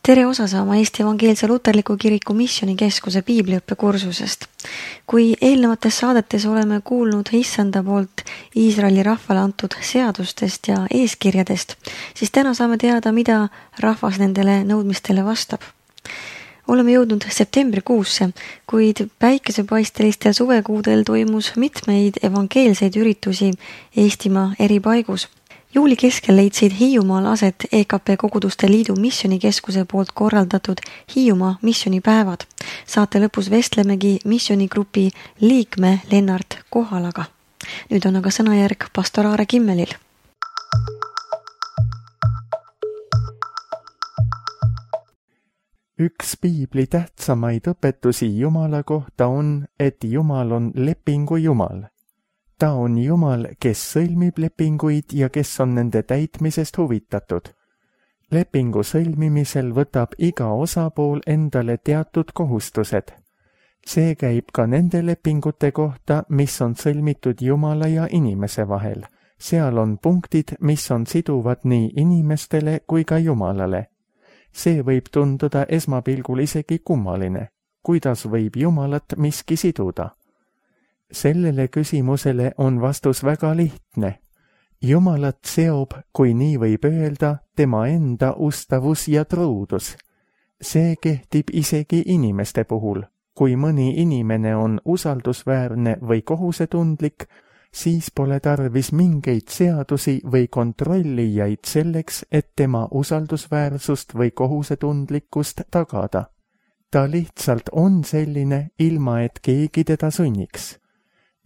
Tere osa saama Eesti Evangeelse Luterliku Kiriku Missioonikeskuse piibliõppekursusest. Kui eelnevates saadetes oleme kuulnud Issanda poolt Iisraeli rahvale antud seadustest ja eeskirjadest, siis täna saame teada, mida rahvas nendele nõudmistele vastab. Oleme jõudnud septembrikuusse, kuid päikesepaistelistel suvekuudel toimus mitmeid evangeelseid üritusi Eestimaa eri paigus. Juuli keskel leidsid Hiiumaal aset EKP Koguduste Liidu Missioonikeskuse poolt korraldatud Hiiumaa missioonipäevad. Saate lõpus vestlemegi missioonigrupi liikme Lennart Kohalaga. Nüüd on aga sõnajärg pastor Aare Kimmelil. Üks piibli tähtsamaid õpetusi Jumala kohta on, et Jumal on lepingu Jumal. Ta on Jumal, kes sõlmib lepinguid ja kes on nende täitmisest huvitatud. Lepingu sõlmimisel võtab iga osapool endale teatud kohustused. See käib ka nende lepingute kohta, mis on sõlmitud Jumala ja inimese vahel. Seal on punktid, mis on siduvad nii inimestele kui ka Jumalale. See võib tunduda esmapilgul isegi kummaline. Kuidas võib Jumalat miski siduda? Sellele küsimusele on vastus väga lihtne. Jumalat seob, kui nii võib öelda, tema enda ustavus ja truudus. See kehtib isegi inimeste puhul. Kui mõni inimene on usaldusväärne või kohusetundlik, siis pole tarvis mingeid seadusi või kontrollijaid selleks, et tema usaldusväärsust või kohusetundlikkust tagada. Ta lihtsalt on selline, ilma et keegi teda sunniks.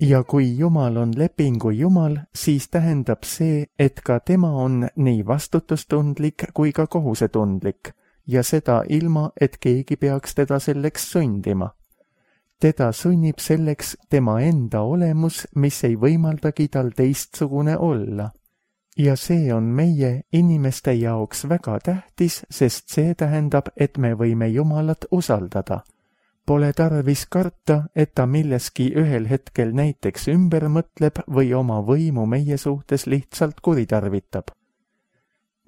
Ja kui Jumal on lepingu Jumal, siis tähendab see, et ka tema on nii vastutustundlik kui ka kohusetundlik, ja seda ilma, et keegi peaks teda selleks sundima. Teda sunnib selleks tema enda olemus, mis ei võimaldagi tal teistsugune olla. Ja see on meie inimeste jaoks väga tähtis, sest see tähendab, et me võime Jumalat usaldada. Pole tarvis karta, et ta milleski ühel hetkel näiteks ümber mõtleb või oma võimu meie suhtes lihtsalt kuritarvitab.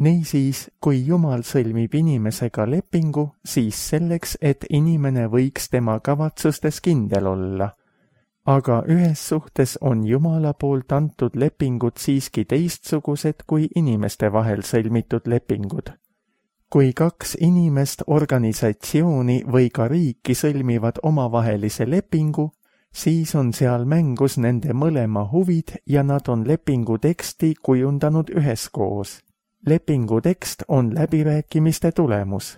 Niisiis, kui Jumal sõlmib inimesega lepingu, siis selleks, et inimene võiks tema kavatsustes kindel olla. Aga ühes suhtes on Jumala poolt antud lepingud siiski teistsugused kui inimeste vahel sõlmitud lepingud. Kui kaks inimest, organisatsiooni või ka riiki sõlmivad omavahelise lepingu, siis on seal mängus nende mõlema huvid ja nad on lepingu teksti kujundanud üheskoos. Lepingu tekst on läbirääkimiste tulemus.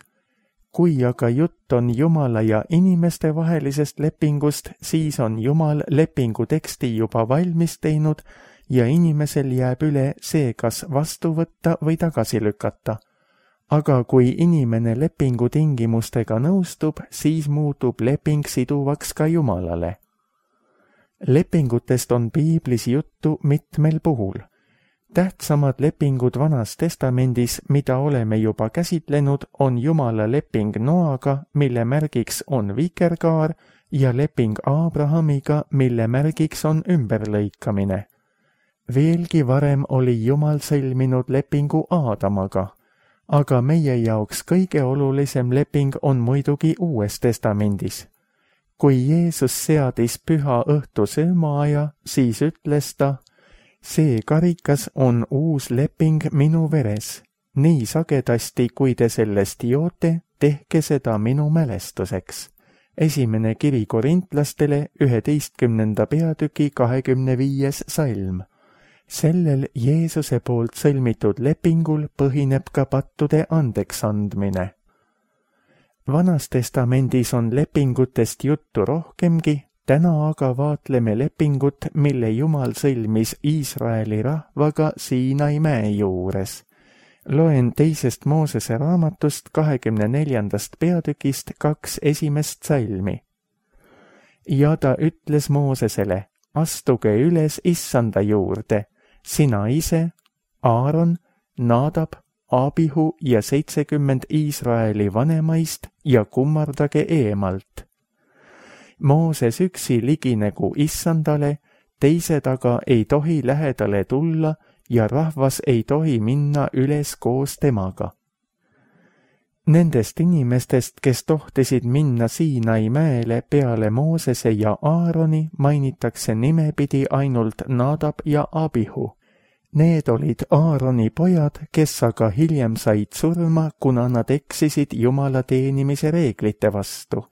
Kui aga jutt on Jumala ja inimeste vahelisest lepingust, siis on Jumal lepingu teksti juba valmis teinud ja inimesel jääb üle see, kas vastu võtta või tagasi lükata. Aga kui inimene lepingu tingimustega nõustub, siis muutub leping siduvaks ka Jumalale. Lepingutest on piiblis juttu mitmel puhul. Tähtsamad lepingud Vanas Testamendis, mida oleme juba käsitlenud, on Jumala leping Noaga, mille märgiks on vikerkaar, ja leping Abrahamiga, mille märgiks on ümberlõikamine. Veelgi varem oli Jumal sõlminud lepingu Aadamaga. Aga meie jaoks kõige olulisem leping on muidugi Uues Testamendis. Kui Jeesus seadis püha õhtu söömaaja, siis ütles ta, see karikas on uus leping minu veres. Nii sagedasti, kui te sellest joote, tehke seda minu mälestuseks. Esimene kiri Korintlastele 11. peatüki 25. salm. Sellel Jeesuse poolt sõlmitud lepingul põhineb ka pattude andeks andmine. Vanas Testamendis on lepingutest juttu rohkemgi, täna aga vaatleme lepingut, mille Jumal sõlmis Iisraeli rahvaga Siinai mäe juures. Loen 2. Moosese raamatust 24. peatükist 2 esimest salmi. Ja ta ütles Moosesele, astuge üles Issanda juurde, sina ise, Aaron, Nadab, Abihu ja 70 Iisraeli vanemaist ja kummardage eemalt. Mooses üksi liginegu Issandale, teised aga ei tohi lähedale tulla ja rahvas ei tohi minna üles koos temaga. Nendest inimestest, kes tohtisid minna Siinai mäele peale Moosese ja Aaroni, mainitakse nimepidi ainult Nadab ja Abihu. Need olid Aaroni pojad, kes aga hiljem said surma, kuna nad eksisid Jumala teenimise reeglite vastu.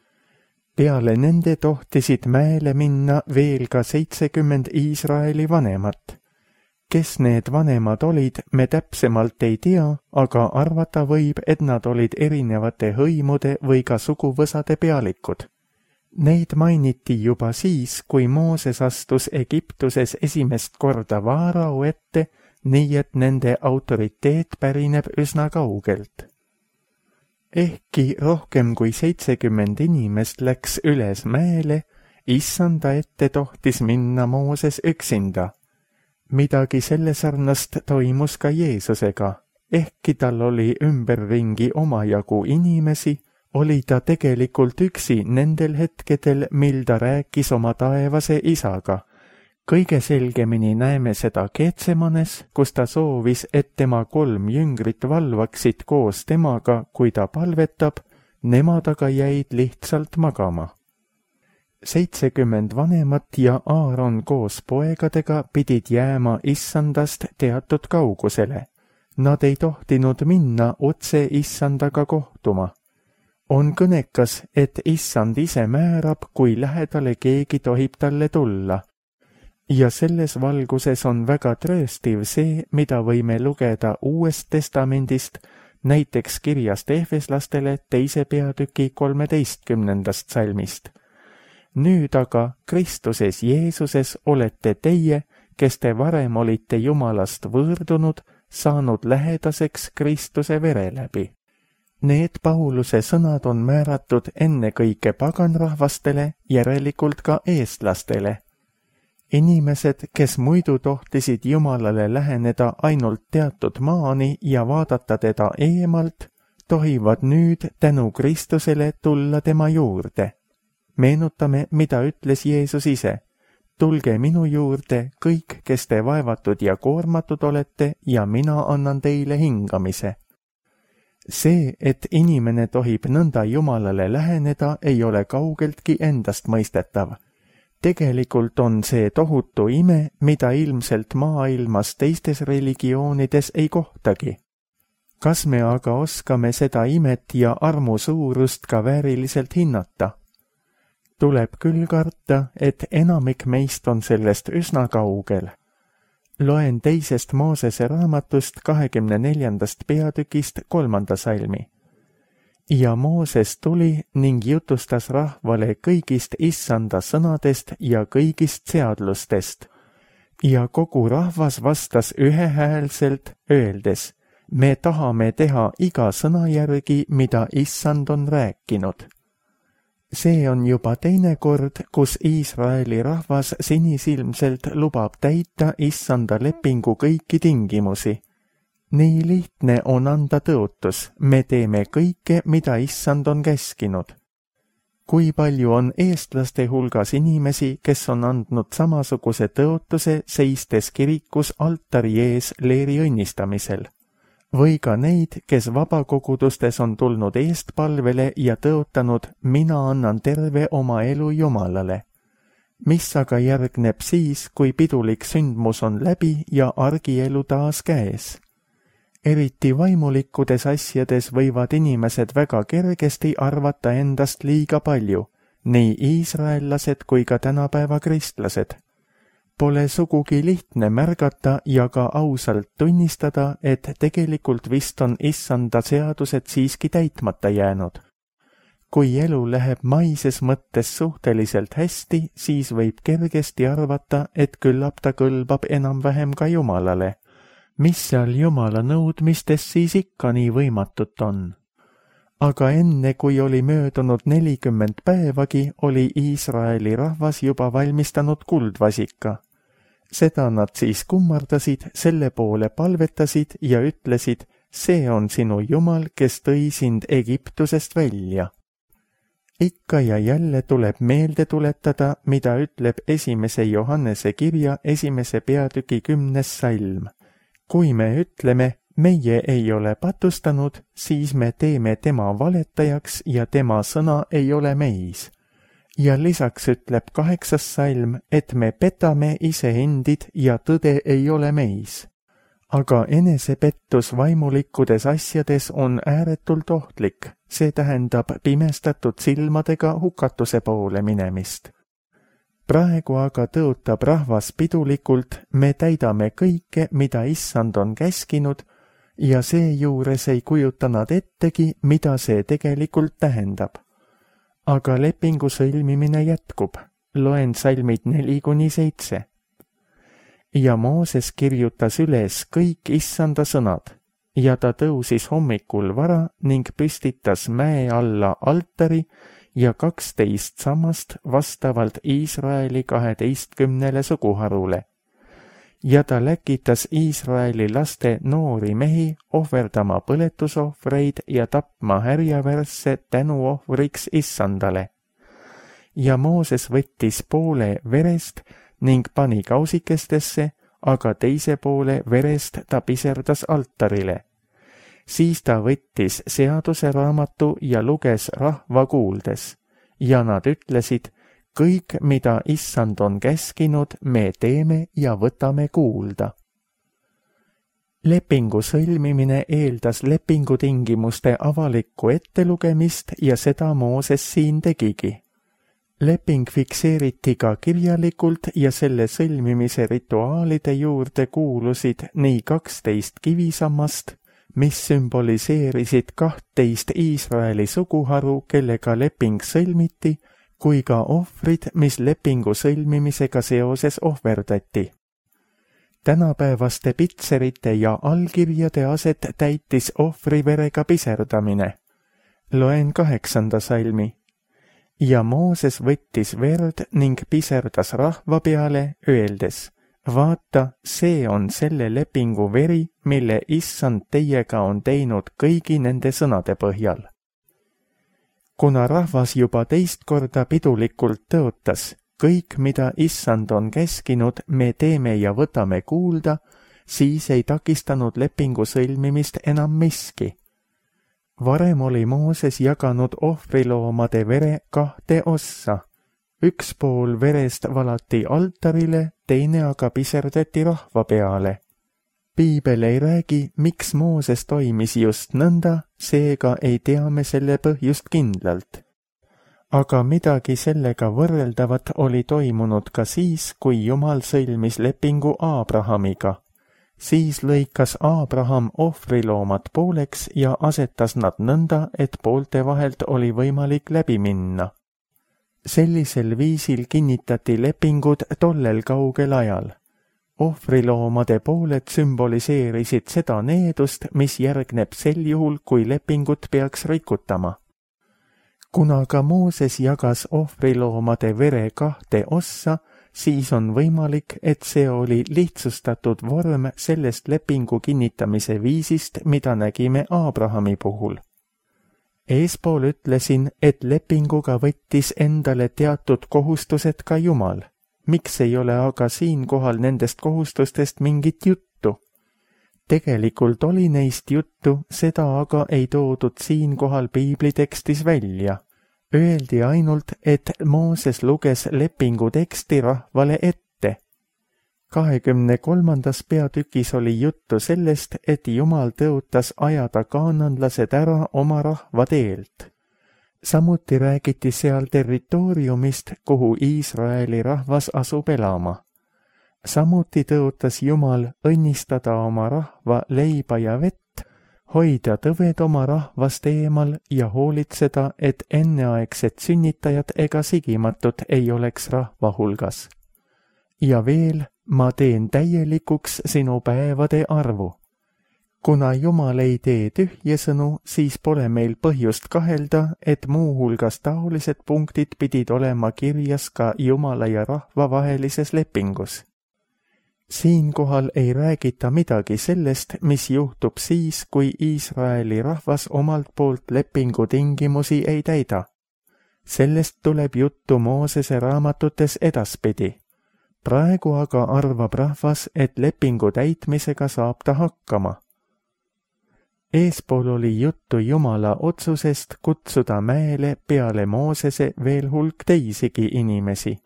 Peale nende tohtisid mäele minna veel ka 70 Iisraeli vanemat. Kes need vanemad olid, me täpsemalt ei tea, aga arvata võib, et nad olid erinevate hõimude või ka suguvõsade pealikud. Neid mainiti juba siis, kui Mooses astus Egiptuses esimest korda Vaarao ette, nii et nende autoriteet pärineb üsna kaugelt. Ehkki rohkem kui 70 inimest läks üles mäele, Issanda ette tohtis minna Mooses üksinda. Midagi selle sarnast toimus ka Jeesusega. Ehkki tal oli ümberringi omajagu inimesi, oli ta tegelikult üksi nendel hetkedel, mil ta rääkis oma taevase isaga. Kõige selgemini näeme seda Getsemanes, kus ta soovis, et tema 3 jüngrit valvaksid koos temaga, kui ta palvetab, nemad aga jäid lihtsalt magama. 70 vanemat ja Aaron koos poegadega pidid jääma Issandast teatud kaugusele. Nad ei tohtinud minna otse Issandaga kohtuma. On kõnekas, et Issand ise määrab, kui lähedale keegi tohib talle tulla. Ja selles valguses on väga trööstiv see, mida võime lugeda Uuest Testamendist, näiteks kirjast Efeslastele 2. peatüki 13. salmist. Nüüd aga Kristuses Jeesuses olete teie, kes te varem olite Jumalast võõrdunud, saanud lähedaseks Kristuse vere läbi. Need Pauluse sõnad on määratud ennekõike paganrahvastele, järelikult ka eestlastele. Inimesed, kes muidu tohtisid Jumalale läheneda ainult teatud maani ja vaadata teda eemalt, tohivad nüüd tänu Kristusele tulla tema juurde. Meenutame, mida ütles Jeesus ise. Tulge minu juurde kõik, kes te vaevatud ja koormatud olete, ja mina annan teile hingamise. See, et inimene tohib nõnda Jumalale läheneda, ei ole kaugeltki endast mõistetav. Tegelikult on see tohutu ime, mida ilmselt maailmas teistes religioonides ei kohtagi. Kas me aga oskame seda imet ja armu suurust ka vääriliselt hinnata? Tuleb küll karta, et enamik meist on sellest üsna kaugel. Loen 2. Moosese raamatust 24. peatükist 3. salmi. Ja Mooses tuli ning jutustas rahvale kõigist Issanda sõnadest ja kõigist seadlustest. Ja kogu rahvas vastas ühehäälselt, öeldes, me tahame teha iga sõna järgi, mida Issand on rääkinud. See on juba teine kord, kus Iisraeli rahvas sinisilmselt lubab täita Issanda lepingu kõiki tingimusi. Nii lihtne on anda tõotus, me teeme kõike, mida Issand on käskinud. Kui palju on eestlaste hulgas inimesi, kes on andnud samasuguse tõotuse, seistes kirikus altari ees leeri õnnistamisel? Või ka neid, kes vabakogudustes on tulnud eestpalvele ja tõotanud, mina annan terve oma elu Jumalale. Mis aga järgneb siis, kui pidulik sündmus on läbi ja argielu taas käes? Eriti vaimulikkudes asjades võivad inimesed väga kergesti arvata endast liiga palju, nii iisraellased kui ka tänapäeva kristlased. Pole sugugi lihtne märgata ja ka ausalt tunnistada, et tegelikult vist on Issanda seadused siiski täitmata jäänud. Kui elu läheb maises mõttes suhteliselt hästi, siis võib kergesti arvata, et küllap ta kõlbab enam-vähem ka Jumalale. Mis seal Jumala nõudmistes siis ikka nii võimatut on? Aga enne, kui oli möödunud 40 päevagi, oli Iisraeli rahvas juba valmistanud kuldvasika. Seda nad siis kummardasid, selle poole palvetasid ja ütlesid, see on sinu Jumal, kes tõi sind Egiptusest välja. Ikka ja jälle tuleb meelde tuletada, mida ütleb 1. Johannese kirja 1. peatüki 10. salm. Kui me ütleme, meie ei ole patustanud, siis me teeme tema valetajaks ja tema sõna ei ole meis. Ja lisaks ütleb 8. salm, et me petame iseendid ja tõde ei ole meis. Aga enesepettus vaimulikkudes asjades on ääretult ohtlik, see tähendab pimestatud silmadega hukatuse poole minemist. Praegu aga tõotab rahvas pidulikult, me täidame kõike, mida issand on käskinud, ja seejuures ei kujuta nad ettegi, mida see tegelikult tähendab. Aga lepingu sõlmimine jätkub, loen salmid 4-7. Ja Mooses kirjutas üles kõik issanda sõnad ja ta tõusis hommikul vara ning püstitas mäe alla altari ja 12 sammast vastavalt Iisraeli 12 suguharule. Ja ta läkitas Iisraeli laste noori mehi ohverdama põletusohvreid ja tapma härjavärsse tänuohvriks issandale. Ja Mooses võttis poole verest ning pani kausikestesse, aga teise poole verest ta piserdas altarile. Siis ta võttis seaduse raamatu ja luges rahva kuuldes. Ja nad ütlesid, kõik, mida issand on käskinud, me teeme ja võtame kuulda. Lepingu sõlmimine eeldas lepingutingimuste avalikku ettelugemist ja seda Mooses siin tegigi. Leping fikseeriti ka kirjalikult ja selle sõlmimise rituaalide juurde kuulusid nii 12 kivisammast, mis sümboliseerisid 12 Iisraeli suguharu, kellega leping sõlmiti, kui ka ohvrid, mis lepingu sõlmimisega seoses ohverdati. Tänapäevaste pitserite ja allkirjade aset täitis ohvriverega piserdamine. Loen 8. salmi. Ja Mooses võttis verd ning piserdas rahva peale, öeldes, vaata, see on selle lepingu veri, mille issand teiega on teinud kõigi nende sõnade põhjal. Kuna rahvas juba teist korda pidulikult tõotas, kõik, mida issand on käskinud, me teeme ja võtame kuulda, siis ei takistanud lepingu sõlmimist enam miski. Varem oli Mooses jaganud ohvriloomade vere 2 ossa. Üks pool verest valati altarile, teine aga piserdati rahva peale. Piibel ei räägi, miks Mooses toimis just nõnda, seega ei tea me selle põhjust kindlalt. Aga midagi sellega võrreldavat oli toimunud ka siis, kui Jumal sõlmis lepingu Aabrahamiga. Siis lõikas Aabraham ohvriloomad pooleks ja asetas nad nõnda, et poolte vahelt oli võimalik läbi minna. Sellisel viisil kinnitati lepingud tollel kaugel ajal. Ohvriloomade pooled sümboliseerisid seda needust, mis järgneb sel juhul, kui lepingut peaks rikutama. Kuna ka Mooses jagas ohvriloomade vere 2 ossa, siis on võimalik, et see oli lihtsustatud vorm sellest lepingu kinnitamise viisist, mida nägime Aabrahami puhul. Eespool ütlesin, et lepinguga võttis endale teatud kohustused ka Jumal. Miks ei ole aga siinkohal nendest kohustustest mingit juttu? Tegelikult oli neist juttu, seda aga ei toodud siinkohal piiblitekstis välja. Öeldi ainult, et Mooses luges lepingu teksti rahvale ette. 23. peatükis oli juttu sellest, et Jumal tõotas ajada kaananlased ära oma rahva teelt. Samuti räägiti seal territooriumist, kuhu Iisraeli rahvas asub elama. Samuti tõotas Jumal õnnistada oma rahva leiba ja vett, hoida tõved oma rahvast eemal ja hoolitseda, et enneaegsed sünnitajad ega sigimatud ei oleks rahva hulgas. Ja veel, ma teen täielikuks sinu päevade arvu. Kuna Jumal ei tee tühjesõnu, siis pole meil põhjust kahelda, et muuhulgas taolised punktid pidid olema kirjas ka Jumala ja rahva vahelises lepingus. Siinkohal ei räägita midagi sellest, mis juhtub siis, kui Iisraeli rahvas omalt poolt lepingu tingimusi ei täida. Sellest tuleb juttu Moosese raamatutes edaspidi. Praegu aga arvab rahvas, et lepingu täitmisega saab ta hakkama. Eespool oli juttu Jumala otsusest kutsuda mäele peale Moosese veel hulk teisigi inimesi.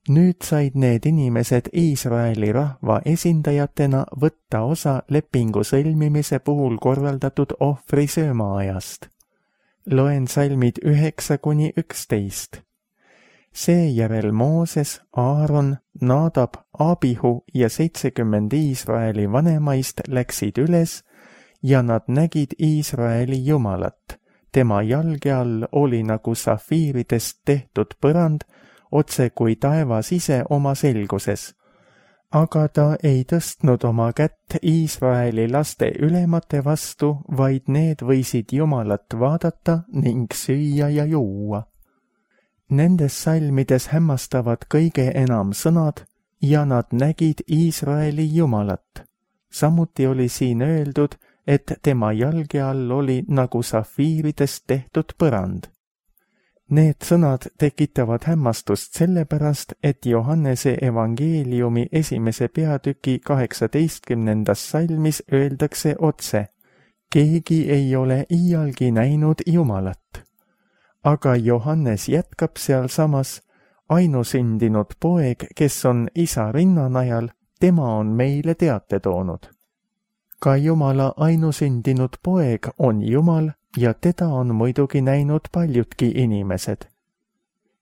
Nüüd said need inimesed Iisraeli rahva esindajatena võtta osa lepingu sõlmimise puhul korraldatud ohvrisöömaajast. Loen salmid 9-11. Seejärel Mooses, Aaron, Nadab, Abihu ja 70 Iisraeli vanemaist läksid üles ja nad nägid Iisraeli Jumalat. Tema jalge all oli nagu safiiridest tehtud põrand, otse kui taevas ise oma selguses. Aga ta ei tõstnud oma kätt Iisraeli laste ülemate vastu, vaid need võisid Jumalat vaadata ning süüa ja juua. Nendes salmides hämmastavad kõige enam sõnad ja nad nägid Iisraeli Jumalat. Samuti oli siin öeldud, et tema jalge all oli nagu safiiridest tehtud põrand. Need sõnad tekitavad hämmastust sellepärast, et Johannese evangeeliumi 1. peatüki 18. salmis öeldakse otse: keegi ei ole iialgi näinud Jumalat. Aga Johannes jätkab sealsamas: ainusündinud poeg, kes on isa rinnanajal, tema on meile teate toonud. Ka Jumala ainusündinud poeg on Jumal ja teda on muidugi näinud paljudki inimesed.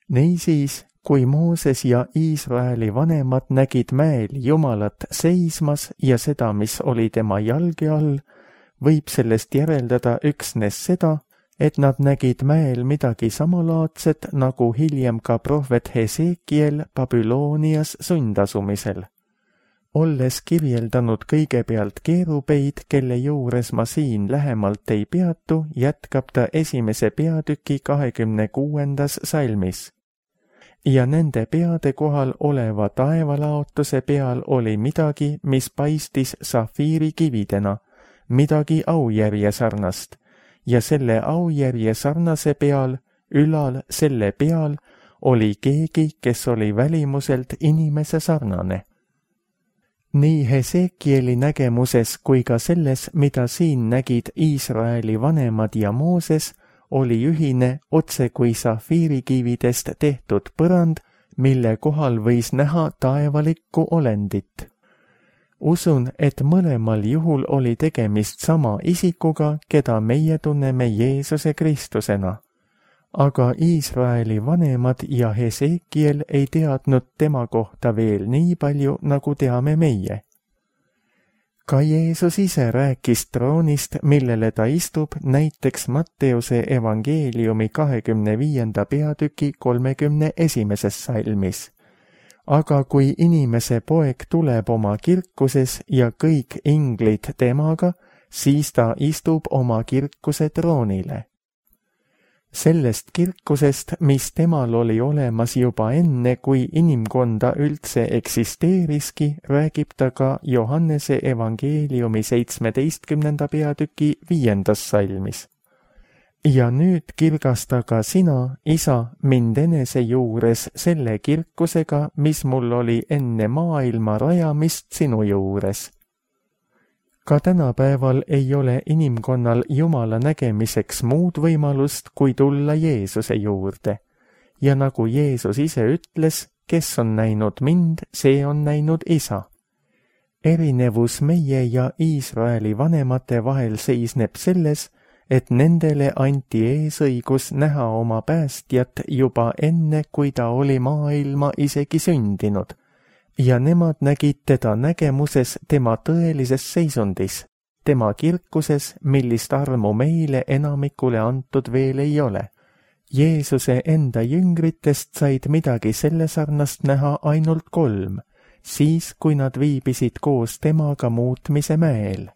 Niisiis, kui Mooses ja Iisraeli vanemad nägid mäel Jumalat seismas ja seda, mis oli tema jalge all, võib sellest järeldada üksnes seda, et nad nägid mäel midagi samalaadset, nagu hiljem ka prohvet Hesekiel Babüloonias sundasumisel. Olles kirjeldanud kõigepealt keerubeid, kelle juures ma siin lähemalt ei peatu, jätkab ta 1. peatüki 26. salmis. Ja nende peade kohal oleva taevalaotuse peal oli midagi, mis paistis safiirikividena, midagi aujärje sarnast, ja selle aujärje sarnase peal, ülal selle peal, oli keegi, kes oli välimuselt inimese sarnane. Nii Hesekieli nägemuses kui ka selles, mida siin nägid Iisraeli vanemad ja Mooses, oli ühine otse kui safiirikividest tehtud põrand, mille kohal võis näha taevalikku olendit. Usun, et mõlemal juhul oli tegemist sama isikuga, keda meie tunneme Jeesuse Kristusena. Aga Iisraeli vanemad ja Hesekiel ei teadnud tema kohta veel nii palju, nagu teame meie. Ka Jeesus ise rääkis troonist, millele ta istub, näiteks Matteuse evangeeliumi 25. peatüki 31. salmis. Aga kui inimese poeg tuleb oma kirkuses ja kõik inglid temaga, siis ta istub oma kirkuse troonile. Sellest kirkusest, mis temal oli olemas juba enne, kui inimkonda üldse eksisteeriski, räägib ta ka Johannese evangeeliumi 17. peatüki 5. salmis. Ja nüüd kirgasta ka sina, isa, mind enese juures selle kirkusega, mis mul oli enne maailma rajamist sinu juures. Ka tänapäeval ei ole inimkonnal Jumala nägemiseks muud võimalust, kui tulla Jeesuse juurde. Ja nagu Jeesus ise ütles, kes on näinud mind, see on näinud isa. Erinevus meie ja Iisraeli vanemate vahel seisneb selles, et nendele anti eesõigus näha oma päästjat juba enne, kui ta oli maailma isegi sündinud. Ja nemad nägid teda nägemuses tema tõelises seisundis, tema kirkuses, millist armu meile enamikule antud veel ei ole. Jeesuse enda jüngritest said midagi selle sarnast näha ainult 3, siis kui nad viibisid koos temaga muutmise mäel.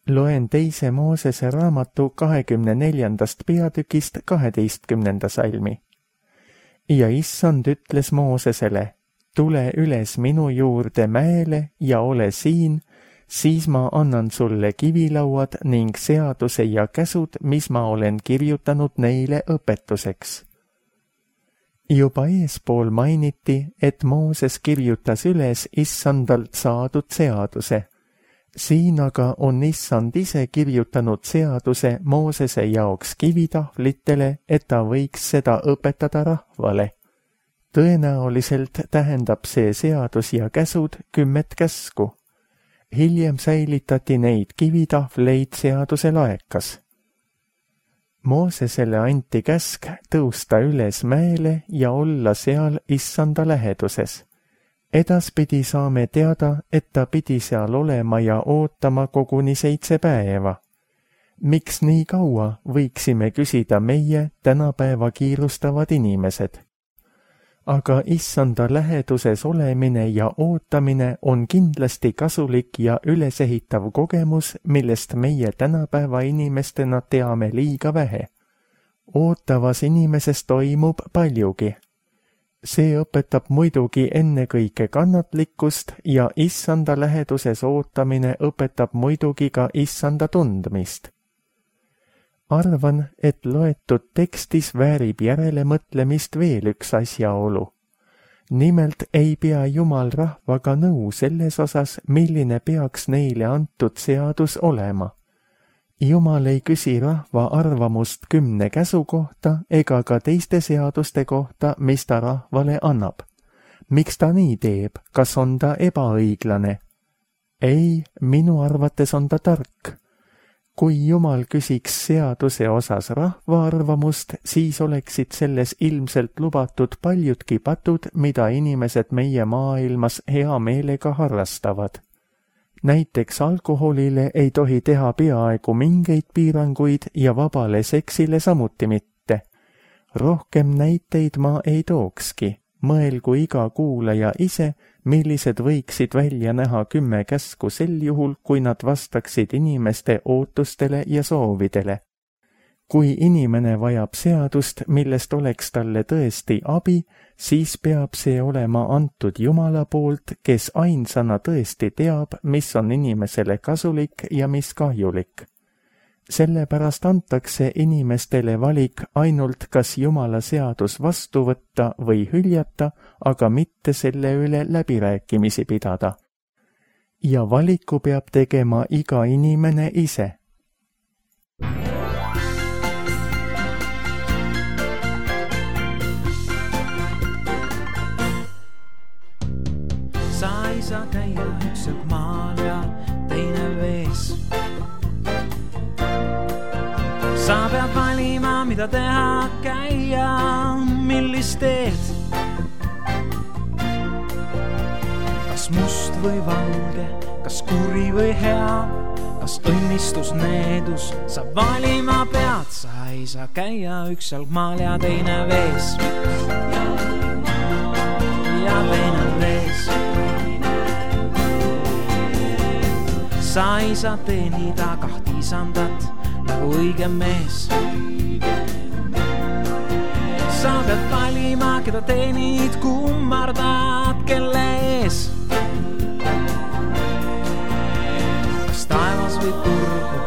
Loen 2. Moosese raamatu 24. peatükist 12. salmi. Ja issand ütles Moosesele: tule üles minu juurde mäele ja ole siin, siis ma annan sulle kivilauad ning seaduse ja käsud, mis ma olen kirjutanud neile õpetuseks. Juba eespool mainiti, et Mooses kirjutas üles issandalt saadud seaduse. Siin aga on Issand ise kirjutanud seaduse Moosese jaoks kivitahvlitele, et ta võiks seda õpetada rahvale. Tõenäoliselt tähendab see seadus ja käsud 10 käsku. Hiljem säilitati neid kivitahvleid seaduse laekas. Moosesele anti käsk tõusta üles mäele ja olla seal Issanda läheduses. Edaspidi saame teada, et ta pidi seal olema ja ootama koguni 7 päeva. Miks nii kaua, võiksime küsida meie tänapäeva kiirustavad inimesed. Aga Issanda läheduses olemine ja ootamine on kindlasti kasulik ja ülesehitav kogemus, millest meie tänapäeva inimestena teame liiga vähe. Ootavas inimeses toimub paljugi. See õpetab muidugi ennekõike kannatlikkust ja Issanda läheduses ootamine õpetab muidugi ka Issanda tundmist. Arvan, et loetud tekstis väärib järelemõtlemist veel üks asjaolu. Nimelt ei pea Jumal rahvaga nõu selles osas, milline peaks neile antud seadus olema. Jumal ei küsi rahva arvamust 10 käsu kohta ega ka teiste seaduste kohta, mis ta rahvale annab. Miks ta nii teeb? Kas on ta ebaõiglane? Ei, minu arvates on ta tark. Kui Jumal küsiks seaduse osas rahva arvamust, siis oleksid selles ilmselt lubatud paljudki patud, mida inimesed meie maailmas hea meelega harrastavad. Näiteks alkoholile ei tohi teha peaaegu mingeid piiranguid ja vabale seksile samuti mitte. Rohkem näiteid ma ei tookski. Mõelgu iga kuulaja ise, millised võiksid välja näha 10 käsku sel juhul, kui nad vastaksid inimeste ootustele ja soovidele. Kui inimene vajab seadust, millest oleks talle tõesti abi, siis peab see olema antud Jumala poolt, kes ainsana tõesti teab, mis on inimesele kasulik ja mis kahjulik. Sellepärast antakse inimestele valik ainult kas Jumala seadus vastu võtta või hüljata, aga mitte selle üle läbirääkimisi pidada. Ja valiku peab tegema iga inimene ise. Sa ei saa käia üks maal ja teine vees. Sa pead valima, mida teha, käia, millist teed. Kas must või valge, kas kuri või hea, kas õnnistus, needus, sa valima pead. Sa ei saa käia üks jalgmaal ja teine vees. Ja teine vees. Sa ei saa teenida 2 isandat nagu õige mees. Sa pead valima, keda teenid, kummardad, kelle ees. Kas taevas või turgu,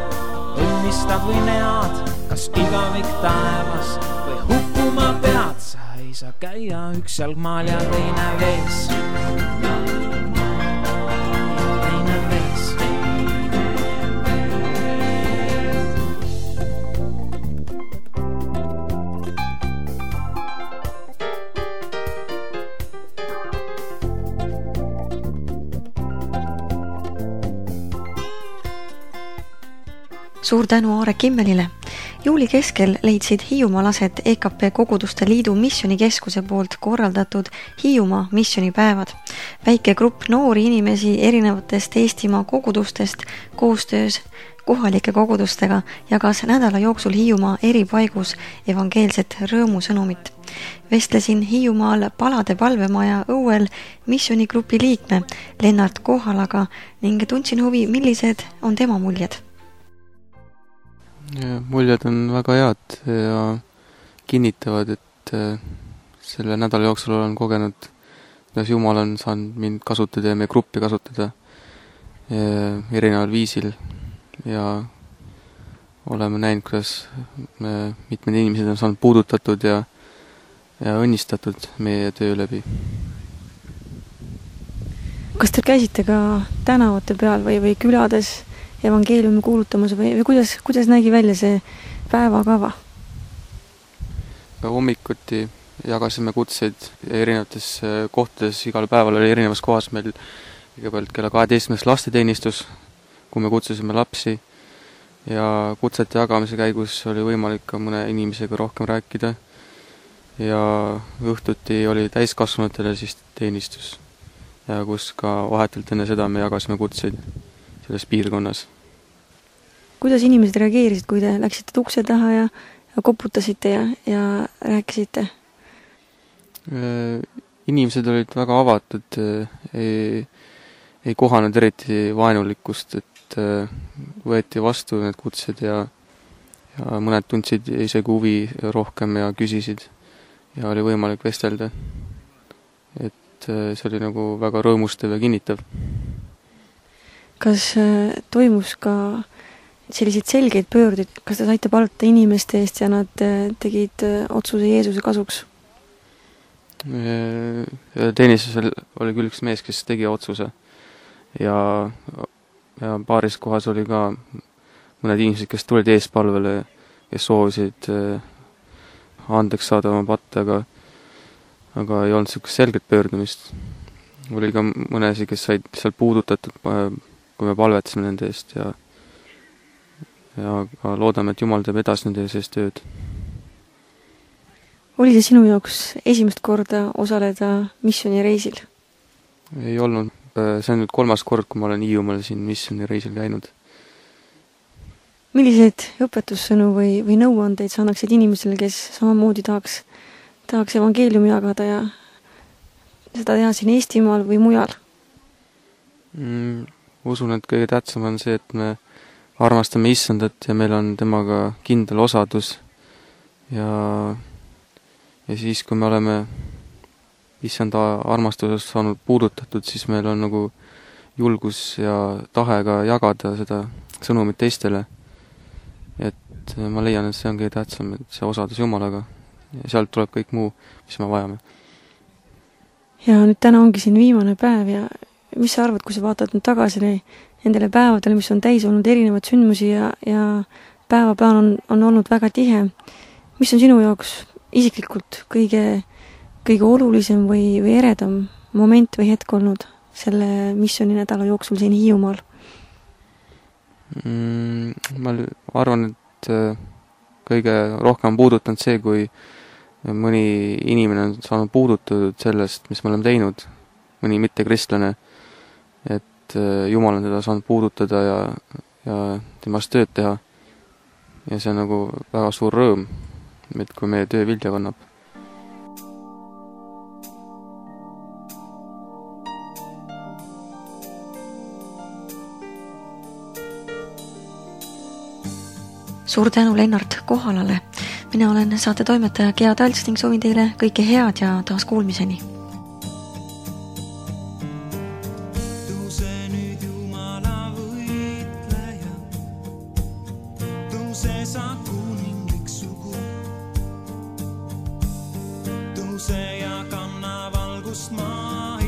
õnnistad või nead, kas igavik taevas või hukkuma pead. Sa ei saa käia üks jalgmaal ja teine vees. Suur tänu Aare Kimmelile. Juuli keskel leidsid Hiiumaal aset EKP Koguduste Liidu missionikeskuse poolt korraldatud Hiiumaa missionipäevad. Väike grupp noori inimesi erinevatest Eestimaa kogudustest koostöös kohalike kogudustega jagas nädala jooksul Hiiumaa eri paigus evangeelset rõõmusõnumit. Vestlesin Hiiumaal Palade palvemaja õuel missionikgrupi liikme Lennart Kohalaga ning tundsin huvi, millised on tema muljed. Muljed on väga head ja kinnitavad, et selle nädala jooksul olen kogenud, kuidas Jumal on saanud mind kasutada ja meie gruppi kasutada erineval viisil ja oleme näinud, kuidas mitmed inimesed on saanud puudutatud ja õnnistatud meie töö läbi. Kas te käisite ka tänavate peal või külades evangeeliumi kuulutamas või kuidas nägi välja see päevakava? Hommikuti jagasime kutseid erinevates kohtades, igal päeval oli erinevas kohas meil kõigepealt kella 12 lasteteenistus, kui me kutsusime lapsi ja kutsete jagamise käigus oli võimalik ka mõne inimesega rohkem rääkida ja õhtuti oli täiskasvanutele siis teenistus ja kus ka vahetult enne seda me jagasime kutseid selles piirkonnas. Kuidas inimesed reageerisid, kui te läksite ukse taha ja koputasite ja rääkisite? Inimesed olid väga avatud, ei kohanud eriti vaenulikkust, et võeti vastu need kutsed ja mõned tundsid isegi huvi rohkem ja küsisid ja oli võimalik vestelda. Et see oli nagu väga rõõmustav ja kinnitav. Kas toimus ka selliseid selgeid pöördeid, kas te saite palvata inimeste eest ja nad tegid otsuse Jeesuse kasuks? Teenistusel oli küll üks mees, kes tegi otsuse ja paaris kohas oli ka mõned inimesed, kes tulid eespalvele, kes soovisid andeks saada oma patte, aga ei olnud sellist selget pöördumist. Oli ka mõnesi, kes said seal puudutatud, kui me palvetasime nende eest ja loodame, et Jumal teeb edasi nende sees tööd. Oli see sinu jaoks esimest korda osaleda missioonireisil? Ei olnud. See on nüüd 3. kord, kui ma olen Hiiumaal siin missioonireisil käinud. Millised õpetussõnu või nõuandeid sa annaksid inimesele, kes samamoodi tahaks evangeeliumi jagada ja seda teha siin Eestimaal või mujal? Usun, et kõige tähtsam on see, et me armastame Issandat ja meil on temaga kindel osadus ja siis, kui me oleme Issanda armastusest saanud puudutatud, siis meil on nagu julgus ja tahe ka jagada seda sõnumit teistele. Et ma leian, et see on kõige tähtsam, et see osadus Jumalaga ja sealt tuleb kõik muu, mis me vajame. Ja nüüd täna ongi siin viimane päev ja mis sa arvad, kui sa vaatad nüüd tagasi nendele päevadele, mis on täis olnud erinevad sündmusi ja päevaplaan on olnud väga tihe. Mis on sinu jaoks isiklikult kõige olulisem või eredam moment või hetk olnud selle missiooninädala jooksul siin Hiiumaal? Ma arvan, et kõige rohkem puudutanud see, kui mõni inimene on saanud puudutatud sellest, mis me oleme teinud, mõni mittekristlane, et Jumal on teda saanud puudutada ja temast tööd teha. Ja see on nagu väga suur rõõm, et kui meie töö vilja kannab. Suur tänu Lennart Kohalale. Mina olen saate toimetaja Gea Talts ning soovin teile kõike head ja taas kuulmiseni. Tõuse nüüd Jumala võitleja, tõuse sa kuninglik sugu, tõuse ja kanna valgust maa.